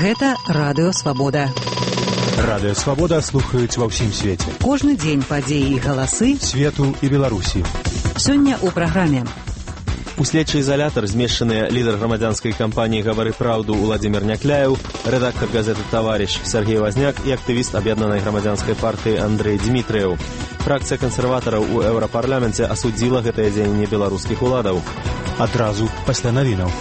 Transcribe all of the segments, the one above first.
Гэта Радыё Свабода. Радыё Свабода слухаюць ва ўсім свеце. Кожны дзень падзеі і галасы свету і Беларусі. Сёння ў праграме. У следчы изолятор змешчаныя лідар грамадзянскай кампаніі «Гавары праўду» Уладзімір Някляеў, рэдактар газеты «Таварыш» Сергей Вазняк і актывіст аб'яднанай грамадзянскай партыі Андрэй Дмітрыеў. Фракцыя кансерватараў у Еўрапарламенце асудзіла гэтае дзеянне беларускіх уладаў. Адразу пасля навінаў.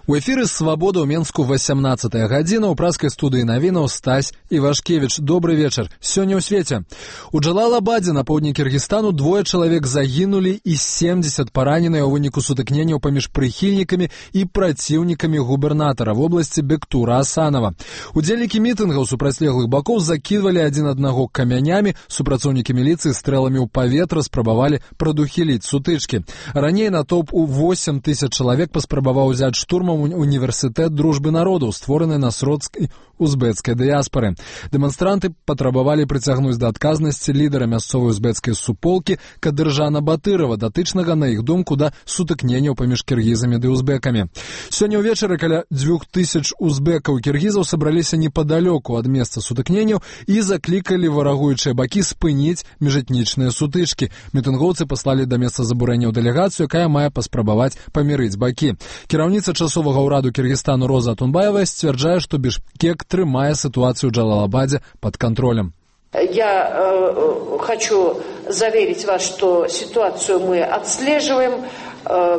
У эфіры «Свабода» ў Менску 18-я гадзіна. У праскай студыі навінаў Стась Івашкевіч. Добры вечар. Сёння ў свеце. У Джалалабадзе на поўдні Кіргізстану 2 чалавек загінулі і 70 параненыя ў выніку сутыкненняў паміж прыхільнікамі і праціўнікамі губернатара в обласці Бектура Асанова. Удзельнікі мітынгаў супрацьлеглых бакоў закідвалі адзін аднаго камянямі, супрацоўнікі міліцыі стрэламі ў паветра спрабавалі прадухіліць сутычкі. Раней натоўп у 8 000 чалавек паспрабаваў узяць штурмам універсітэт дружбы народаў, створаны на сродкі узбецкай дыяспары. Дэманстранты патрабавалі прыцягнуць да адказнасці лідара мясцовай узбецкай суполкі Кадыржана Батырова, датычнага, на іх думку, да сутыкненняў паміж кіргізамі ды узбекамі. Сёння ўвечары каля 2000 узбекаў і кіргізаў сабраліся непадалёку ад месца сутыкненняў і заклікалі варагуючыя бакі спыніць міжэтнічныя сутычкі. Мітынгоўцы паслалі да месца забурэнняў дэлегацыю, якая мае паспрабаваць памірыць бакі. Кіраўніца часовага ўраду Кіргізстану Роза Атунбаева сцвярджае, што Бішкек трымае ситуацию в Джалалабаде под контролем. Я хочу заверить вас, что ситуацию мы отслеживаем,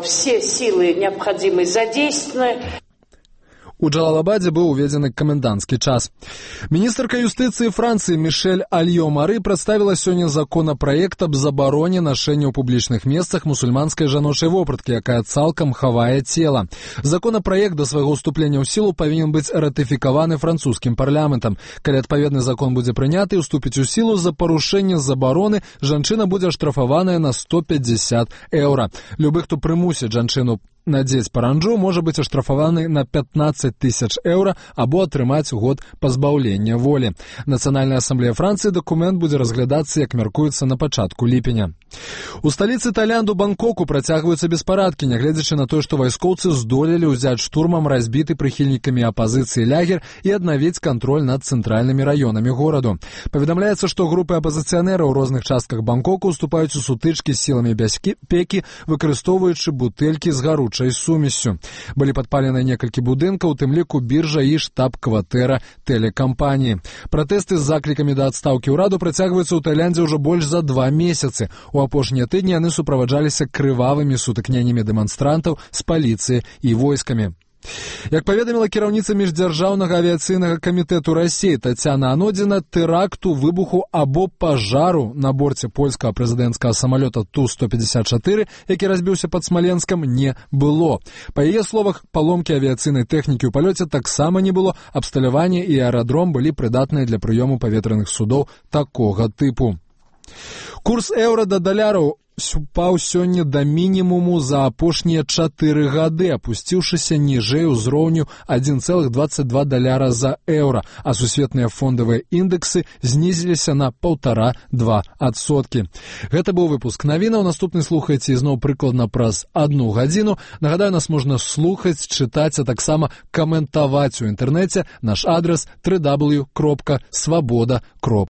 все силы необходимые задействованы. У Джалалабаде быў уведзены каменданцкі час. Міністрка юстыцыі Францыі Мішэль Альё-Мары прадставіла сёння законапраект аб забароне нашэння ў публічных месцах мусульманскай жаночай вопраткі, якая цалкам хавае цела. Законапраект да свайго ўступлення ў сілу павінен быць ратыфікаваны французскім парламентам. Калі адпаведны закон будзе прыняты і ўступіць у сілу, за парушэнне забароны жанчына будзе аштрафаваная на 150 еўра. Любы, хто прымусіць жанчыну надзець паранджу, можа быць аштрафаваны на 15 000 еўра або атрымаць год пазбаўлення волі. Нацыянальная асамблея Францыі дакумент будзе разглядацца, як мяркуецца, на пачатку ліпеня. У сталіцы Таіланду Бангкоку працягваюцца беспарадкі, нягледзячы на тое, што вайскоўцы здолелі ўзяць штурмам разбіты прыхільнікамі апазіцыі лагер і аднавіць кантроль над цэнтральнымі раёнамі гораду. Паведамляецца, што групы апазіцыянераў у розных частках Бангкоку уступаюць у сутычкі з сіламі бяспекі, выкарыстоўваючы бутэлькі з гаручай сумессю. Былі падпалены некалькі будынкаў, у тым ліку біржа і штаб-кватэра тэлекампаніі. Пратэсты з заклікамі да адстаўкі ўраду працягваюцца ў Таіландзе ўжо больш за 2 месяцы. У апошнія тыдні яны суправаджаліся крывавымі сутыкненнямі дэманстрантаў з паліцыяй і войскамі. Як паведаміла кіраўніца міждзяржаўнага авіяцыйнага камітэту Расіі Тацяна Анодзіна, тэракту, выбуху або пажару на борце польскага прэзідэнцкага самалёта Ту-154, які разбіўся пад Смаленскам, не было. Па яе словах, паломкі авіяцыйнай тэхнікі ў палёце таксама не было, абсталяванне і аэрадром былі прыдатныя для прыёму паветраных судоў такога тыпу. Курс еўра да даляраў упаў сёння да мінімуму за апошнія 4 гады, апусціўшыся ніжэй узроўню $1,22 за еўра, а сусветныя фондавыя індэксы знізіліся на 1,5–2%. Гэта быў выпуск навінаў. Наступны слухайце ізноў прыкладна праз 1 гадзіну. Нагадаю, нас можна слухаць, чытаць, а таксама каментаваць у інтэрнэце. Наш адрес www.swaboda.org.